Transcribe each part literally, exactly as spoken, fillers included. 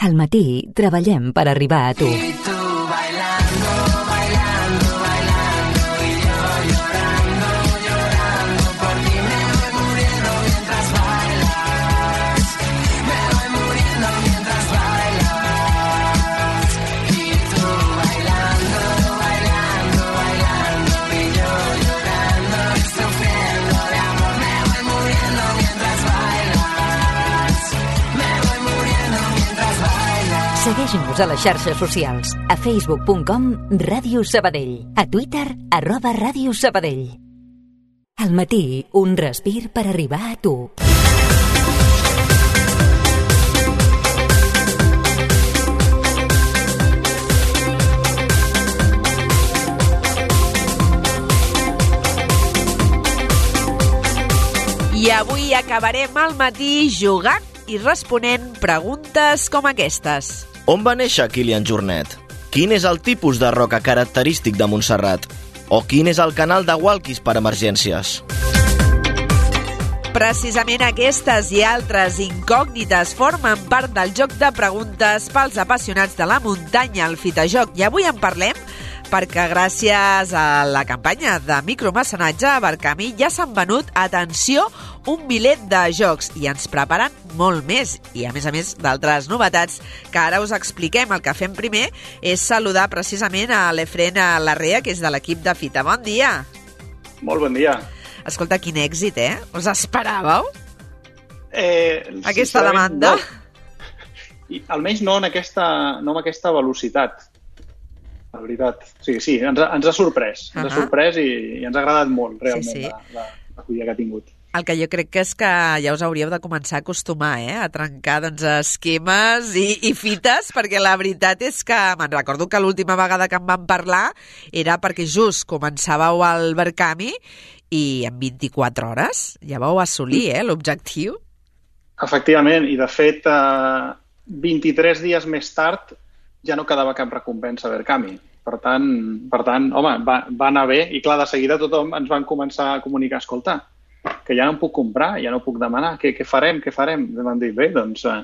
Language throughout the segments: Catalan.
Al matí treballem per arribar a tu. Segueix-nos a les xarxes socials, a facebook punt com Ràdio Sabadell, a Twitter, arroba Ràdio Sabadell. Al matí, un respir per arribar a tu. I avui acabarem al matí jugant i responent preguntes com aquestes. On va néixer Kilian Jornet? Quin és el tipus de roca característic de Montserrat? O quin és el canal de walkies per emergències? Precisament aquestes i altres incògnites formen part del joc de preguntes pels apassionats de la muntanya, el Fitajoc. I avui en parlem perquè gràcies a la campanya de micromecenatge a Barcamí ja s'han venut, atenció, un miler de jocs i ens preparen molt més. I a més a més d'altres novetats que ara us expliquem. El que fem primer és saludar precisament a l'Efren Larrea, que és de l'equip de Fita. Bon dia. Molt bon dia. Escolta, quin èxit, eh? Us esperàveu? Eh, aquesta demanda? No. I, almenys no en aquesta, no amb aquesta velocitat. La veritat. Sí, sí, ens ha, ens ha sorprès. Ens uh-huh. ha sorprès i, i ens ha agradat molt, realment, sí, sí. la, la, l'acollida que ha tingut. El que jo crec que és que ja us hauríeu de començar a acostumar, eh? A trencar doncs, esquemes i, i fites, perquè la veritat és que me'n recordo que l'última vegada que em van parlar era perquè just començàveu al Barcamí i en vint-i-quatre hores ja vau assolir eh, l'objectiu. Efectivament, i de fet eh, vint-i-tres dies més tard ja no quedava cap recompensa a Barcamí. Per tant, per tant home, va, va anar bé i clar, de seguida tothom ens van començar a comunicar, escolta, que ja no em puc comprar, ja no puc demanar, què, què farem, què farem? I vam dir, bé, doncs eh,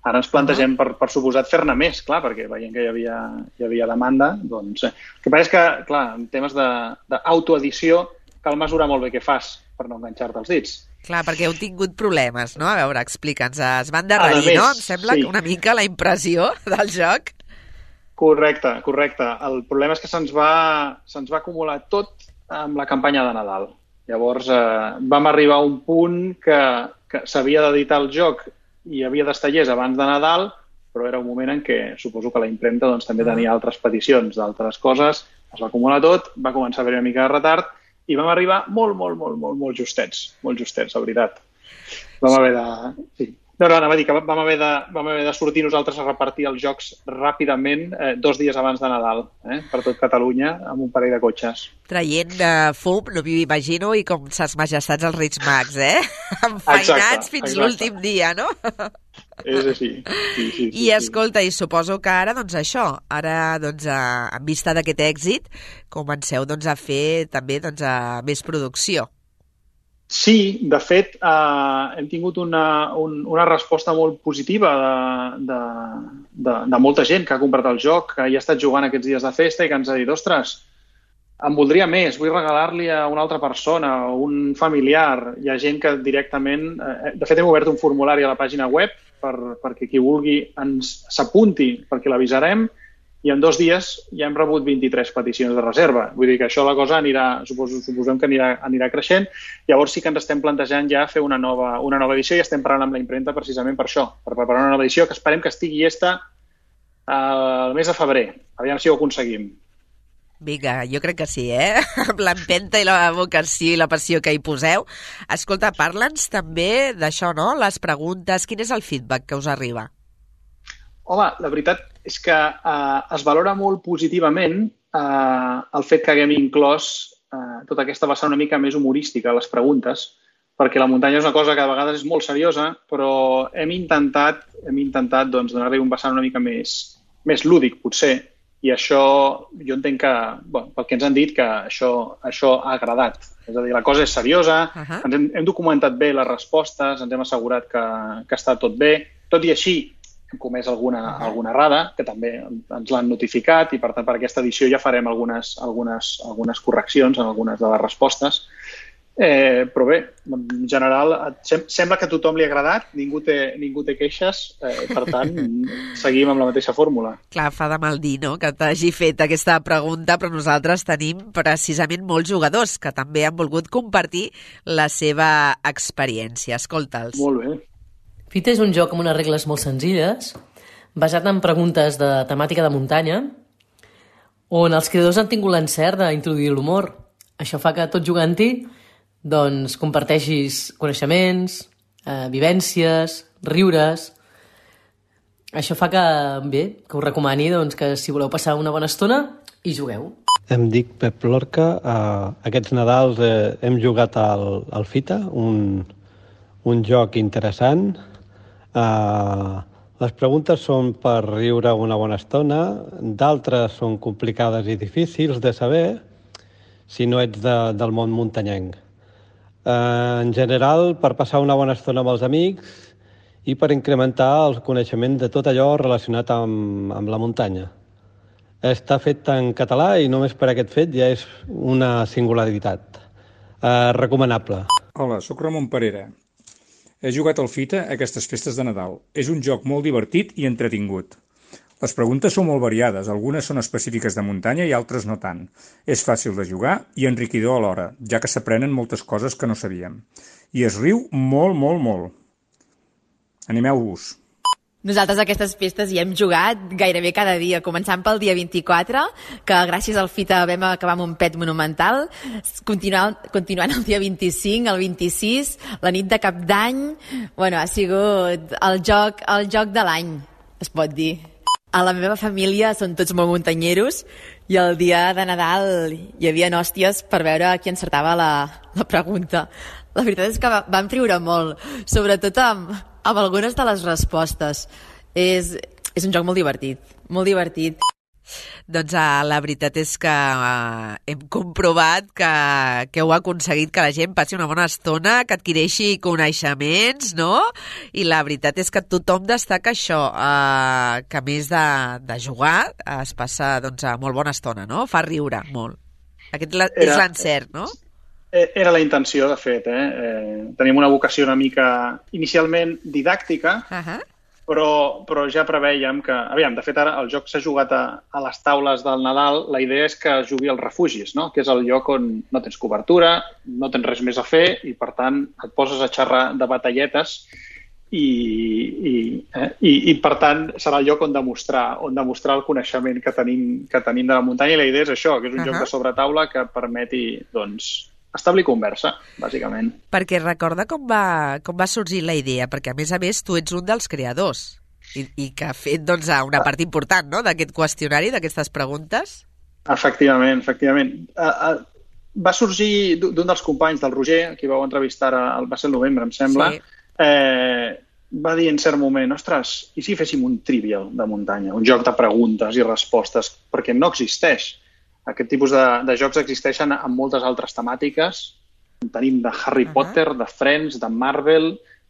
ara ens plantegem per, per suposat fer-ne més, clar, perquè veient que hi havia, hi havia demanda, doncs... Eh. El que passa és que, clar, en temes d'autoedició cal mesurar molt bé què fas per no enganxar-te els dits. Clar, perquè heu tingut problemes, no? A veure, explica'ns, es van endarrerir, no? Em sembla sí. una mica la impressió del joc. Correcte, correcte. El problema és que se'ns va, se'ns va acumular tot amb la campanya de Nadal. Llavors eh, vam arribar a un punt que, que s'havia d'editar el joc i havia d'estar llest abans de Nadal, però era un moment en què suposo que la impremta doncs, també tenia altres peticions d'altres coses, es va acumular tot, va començar a haver una mica de retard i vam arribar molt, molt, molt, molt, molt justets, molt justets, la veritat. Vam haver de... Sí. No, no, anava a dir que vam haver de, vam haver de sortir nosaltres a repartir els jocs ràpidament eh, dos dies abans de Nadal, eh, per tot Catalunya, amb un parell de cotxes. Traient uh, fum, no m'ho imagino, i com ses majestats els Reis Mags, eh? Enfeinats fins exacte. L'últim dia, no? És així. Sí, sí, sí, I escolta, i suposo que ara, doncs això, ara, doncs, a, en vista d'aquest èxit, comenceu doncs, a fer també doncs, a més producció. Sí, de fet, eh, hem tingut una, un, una resposta molt positiva de, de, de, de molta gent que ha comprat el joc, que hi ha estat jugant aquests dies de festa i que ens ha dit, ostres, em voldria més, vull regalar-li a una altra persona o un familiar. Hi ha gent que directament... Eh, de fet, hem obert un formulari a la pàgina web per, perquè qui vulgui ens s'apunti, perquè l'avisarem, i en dos dies ja hem rebut vint-i-tres peticions de reserva. Vull dir que això la cosa anirà, suposo, suposem que anirà, anirà creixent. Llavors sí que ens estem plantejant ja fer una nova, una nova edició i estem parlant amb la impremta precisament per això, per preparar una nova edició que esperem que estigui llesta el mes de febrer. Aviam si ho aconseguim. Vinga, jo crec que sí, eh? Amb l'empenta i la vocació i la passió que hi poseu. Escolta, parla'ns també d'això, no? Les preguntes, quin és el feedback que us arriba? Home, la veritat és que eh, es valora molt positivament eh, el fet que haguem inclòs eh, tota aquesta vessant una mica més humorística a les preguntes, perquè la muntanya és una cosa que a vegades és molt seriosa, però hem intentat, hem intentat doncs, donar-li un vessant una mica més, més lúdic, potser, i això jo entenc que, bueno, pel que ens han dit, que això, això ha agradat. És a dir, la cosa és seriosa, uh-huh. ens hem, hem documentat bé les respostes, ens hem assegurat que, que està tot bé, tot i així, hem comès alguna, alguna errada, que també ens l'han notificat, i per tant per aquesta edició ja farem algunes, algunes, algunes correccions en algunes de les respostes. Eh, però bé, en general sem sembla que a tothom li ha agradat, ningú té, ningú té queixes, eh, per tant seguim amb la mateixa fórmula. Clar, fa de mal dir, no?, que t'hagi fet aquesta pregunta, però nosaltres tenim precisament molts jugadors que també han volgut compartir la seva experiència. Escolta'ls. Molt bé. Fita és un joc amb unes regles molt senzilles, basat en preguntes de temàtica de muntanya, on els creadors han tingut l'encert d'introduir l'humor. Això fa que tot jugant-hi doncs comparteixis coneixements, eh, vivències, riures. Això fa que, bé, que us recomani doncs, que si voleu passar una bona estona, hi jugueu. Em dic Pep Lorca. Uh, aquests Nadals eh, hem jugat al, al Fita, un, un joc interessant. Uh, les preguntes són per riure una bona estona, d'altres són complicades i difícils de saber si no ets de, del món muntanyenc. Uh, en general, per passar una bona estona amb els amics i per incrementar el coneixement de tot allò relacionat amb, amb la muntanya. Està fet en català i només per aquest fet ja és una singularitat. Uh, recomanable. Hola, sóc Ramon Parera. He jugat al Fita aquestes festes de Nadal. És un joc molt divertit i entretingut. Les preguntes són molt variades, algunes són específiques de muntanya i altres no tant. És fàcil de jugar i enriquidor alhora, ja que s'aprenen moltes coses que no sabíem. I es riu molt, molt, molt. Animeu-vos. Nosaltres a aquestes festes hi hem jugat gairebé cada dia, començant pel dia vint-i-quatre, que gràcies al Fita vam acabar amb un pet monumental, continuant, continuant el dia vint-i-cinc, el vint-i-sis, la nit de Cap d'Any. Bueno, ha sigut el joc, el joc de l'any, es pot dir. A la meva família són tots molt muntanyeros i el dia de Nadal hi havia hòsties per veure qui encertava la, la pregunta. La veritat és que vam riure molt, sobretot amb, amb algunes de les respostes. És, és un joc molt divertit, molt divertit. Doncs uh, la veritat és que uh, hem comprovat que, que heu aconseguit que la gent passi una bona estona, que adquireixi coneixements, no? I la veritat és que tothom destaca això, uh, que a més de, de jugar uh, es passa doncs, a molt bona estona, no? Fa riure molt. Aquest la, és l'encert, no? Era la intenció, de fet. Eh? Eh, tenim una vocació una mica inicialment didàctica, uh-huh. Però, però ja preveiem que... Aviam, de fet, ara el joc s'ha jugat a, a les taules del Nadal. La idea és que jugui als refugis, no? Que és el lloc on no tens cobertura, no tens res més a fer i, per tant, et poses a xerrar de batalletes i, i, eh? I, i per tant, serà el lloc on demostrar, on demostrar el coneixement que tenim, que tenim de la muntanya. I la idea és això, que és un uh-huh. joc de sobretaula que permeti, doncs, establir conversa, bàsicament. Perquè recorda com va, com va sorgir la idea, perquè a més a més tu ets un dels creadors i, i que ha fet doncs, una part important, no?, d'aquest qüestionari, d'aquestes preguntes. Efectivament, efectivament. Uh, uh, va sorgir d'un dels companys del Roger, qui vau entrevistar, a, va ser el novembre, em sembla, sí. eh, va dir en cert moment, ostres, i si féssim un trivial de muntanya, un joc de preguntes i respostes, perquè no existeix. Aquest tipus de, de jocs existeixen amb moltes altres temàtiques. Tenim de Harry uh-huh. Potter, de Friends, de Marvel,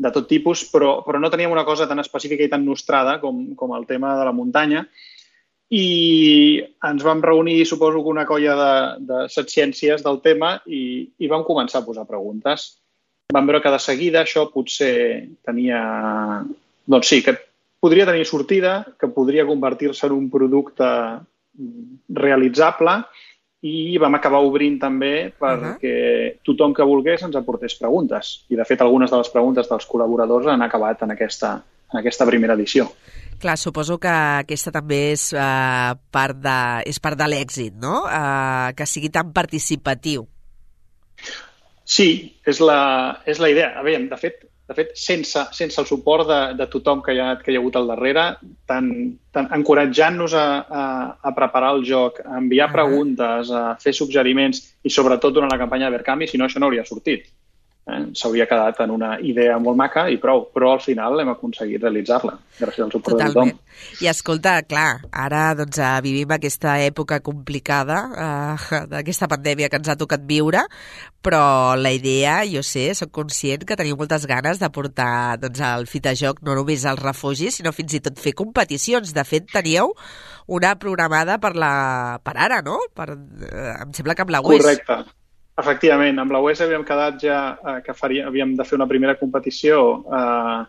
de tot tipus, però, però no teníem una cosa tan específica i tan nostrada com, com el tema de la muntanya. I ens vam reunir, suposo que una colla de, de setciències del tema i, i vam començar a posar preguntes. Vam veure que de seguida això potser tenia... Doncs sí, que podria tenir sortida, que podria convertir-se en un producte realitzable i vam acabar obrint també perquè uh-huh. tothom que volgués ens aportés preguntes. I, de fet, algunes de les preguntes dels col·laboradors han acabat en aquesta, en aquesta primera edició. Clar, suposo que aquesta també és, uh, part, de, és part de l'èxit, no? Uh, que sigui tan participatiu. Sí, és la, és la idea. A veure, de fet, de fet sense, sense el suport de, de tothom que hi, ha, que hi ha hagut al darrere, tant, tant encoratjant-nos a, a, a preparar el joc, a enviar uh-huh. preguntes, a fer suggeriments i sobretot durant la campanya de Verkami, si no això no hauria sortit. Eh? S'hauria quedat en una idea molt maca i prou, però al final hem aconseguit realitzar-la, gràcies al suport Totalment. de tothom. I escolta, clar, ara doncs, vivim aquesta època complicada eh, d'aquesta pandèmia que ens ha tocat viure, però la idea, jo sé, soc conscient que teniu moltes ganes de portar doncs, el Fitajoc no només als refugis, sinó fins i tot fer competicions. De fet, teníeu una programada per, la... per ara, no? Per... Eh, em sembla que amb la U E S. Correcte. Efectivament, amb la U E S havíem quedat ja eh, que faria, havíem de fer una primera competició eh,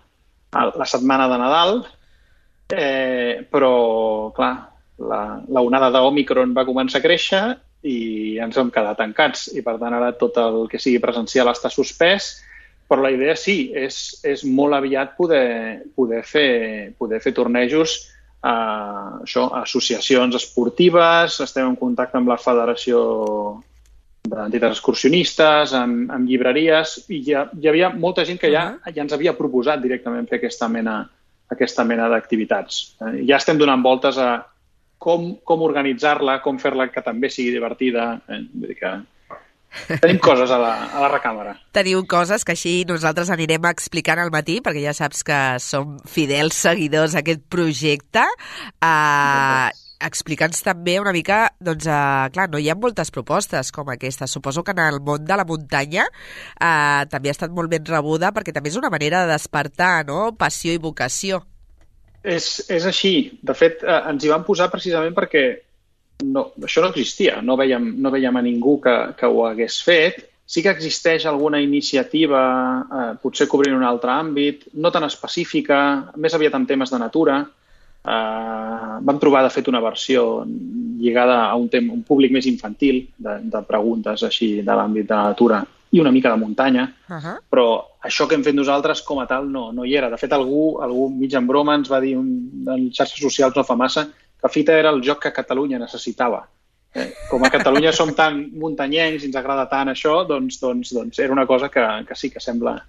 la setmana de Nadal, eh, però, clar, la, la onada d'Òmicron va començar a créixer i ens vam quedar tancats. I, per tant, ara tot el que sigui presencial està suspès, però la idea sí, és, és molt aviat poder, poder, fer, poder fer tornejos a, això, a associacions esportives, estem en contacte amb la Federació d'entitats excursionistes, amb, amb llibreries, i ja, hi havia molta gent que ja, ja ens havia proposat directament fer aquesta mena, aquesta mena d'activitats. Eh, ja estem donant voltes a com, com organitzar-la, com fer-la que també sigui divertida. Eh, vull dir que tenim coses a la, a la recàmera. Teniu coses que així nosaltres anirem explicant al matí, perquè ja saps que som fidels seguidors d'aquest projecte. Uh, Explica'ns també una mica, doncs, uh, clar, no hi ha moltes propostes com aquesta. Suposo que en el món de la muntanya uh, també ha estat molt ben rebuda perquè també és una manera de despertar, no?, passió i vocació. És, és així. De fet, uh, ens hi vam posar precisament perquè no, això no existia. No veiem, no veiem a ningú que, que ho hagués fet. Sí que existeix alguna iniciativa, uh, potser cobrint un altre àmbit, no tan específica, més aviat en temes de natura. Uh, vam trobar, de fet, una versió lligada a un, tema, un públic més infantil de, de preguntes així de l'àmbit de la natura i una mica de muntanya, uh-huh. Però això que hem fet nosaltres com a tal no, no hi era. De fet, algú, algú mig en broma ens va dir un, en xarxes socials no fa massa que Fita era el joc que Catalunya necessitava. Eh, com a Catalunya som tan muntanyencs i ens agrada tant això, doncs, doncs, doncs era una cosa que, que sí que sembla...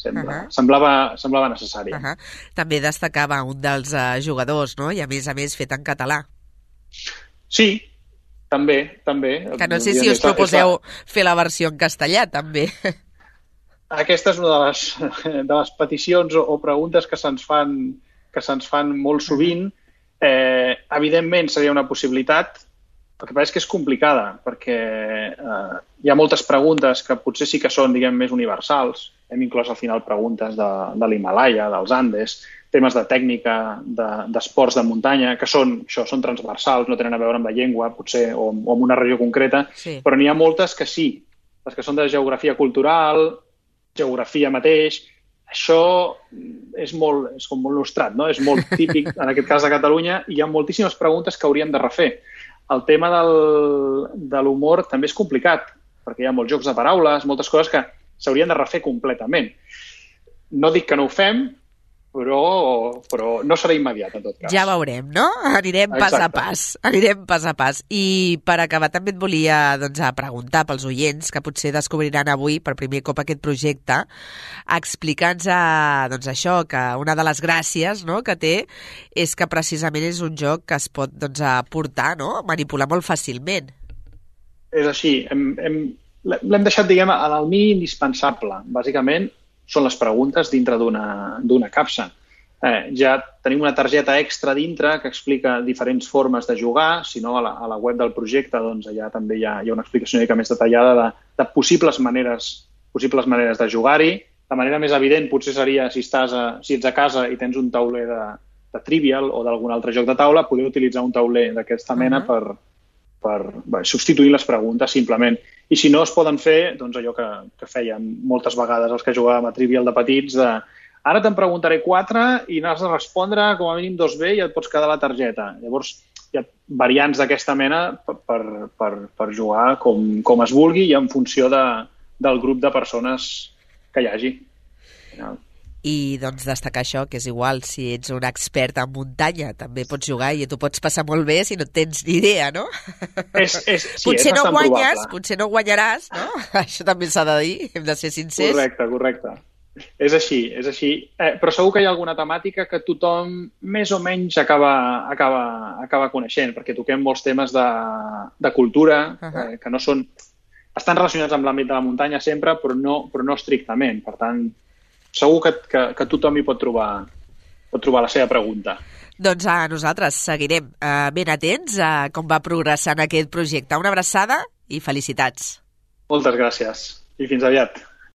Sembla, uh-huh. semblava, semblava necessari. Uh-huh. També destacava un dels uh, jugadors, no? I a més a més fet en català. Sí, també, també. Que no sé si us proposeu fer la versió en castellà, també. Aquesta és una de les, de les peticions o, o preguntes que se'ns fan, que se'ns fan molt sovint. Eh, evidentment seria una possibilitat. El que passa és que és complicada, perquè eh, hi ha moltes preguntes que potser sí que són, diguem, més universals. Hem inclòs al final preguntes de, de l'Himàlaia, dels Andes, temes de tècnica, d'esports de, de muntanya, que són, això, són transversals, no tenen a veure amb la llengua, potser, o, o amb una regió concreta, sí. Però n'hi ha moltes que sí. Les que són de geografia cultural, geografia mateix, això és molt, és com molt nostrat, no? És molt típic, en aquest cas de Catalunya, i hi ha moltíssimes preguntes que hauríem de refer. El tema del, de l'humor també és complicat, perquè hi ha molts jocs de paraules, moltes coses que s'haurien de refer completament. No dic que no ho fem, però, però no serà immediat, en tot cas. Ja veurem, no? Anirem pas Exacte. a pas. Anirem pas a pas. I per acabar també et volia doncs, preguntar pels oients que potser descobriran avui per primer cop aquest projecte, explica'ns doncs, això, que una de les gràcies, no?, que té és que precisament és un joc que es pot doncs, portar, no?, manipular molt fàcilment. És així. Hem, hem, l'hem deixat, diguem, en el mínim indispensable. Bàsicament, són les preguntes dintre d'una capsa. Eh, ja tenim una targeta extra dintre que explica diferents formes de jugar, si no a la, a la web del projecte doncs allà també hi ha, hi ha una explicació una mica més detallada de, de possibles maneres, possibles maneres de jugar-hi. La manera més evident potser seria si, estàs a, si ets a casa i tens un tauler de, de Trivial o d'algun altre joc de taula, poder utilitzar un tauler d'aquesta mena uh-huh. per, per bé, substituir les preguntes simplement. I si no, es poden fer doncs, allò que, que feien moltes vegades els que jugàvem a Trivial de petits, de ara te'n preguntaré quatre i n'has de respondre com a mínim dos bé i et pots quedar la targeta. Llavors, hi ha variants d'aquesta mena per, per, per, per jugar com, com es vulgui i en funció de, del grup de persones que hi hagi. I doncs destacar això, que és igual, si ets un expert en muntanya, també pots jugar i tu pots passar molt bé si no tens ni idea, no? És, és, sí, potser és no guanyes, probable. Potser no guanyaràs, no? Això també s'ha de dir, hem de ser sincers. Correcte, correcte. És així, és així. Eh, però segur que hi ha alguna temàtica que tothom més o menys acaba, acaba, acaba coneixent, perquè toquem molts temes de, de cultura, uh-huh. eh, que no són estan relacionats amb l'àmbit de la muntanya sempre, però no, però no estrictament. Per tant, segur que, que, que tothom hi pot trobar, pot trobar la seva pregunta. Doncs a nosaltres seguirem eh, ben atents a com va progressant aquest projecte. Una abraçada i felicitats. Moltes gràcies i fins aviat.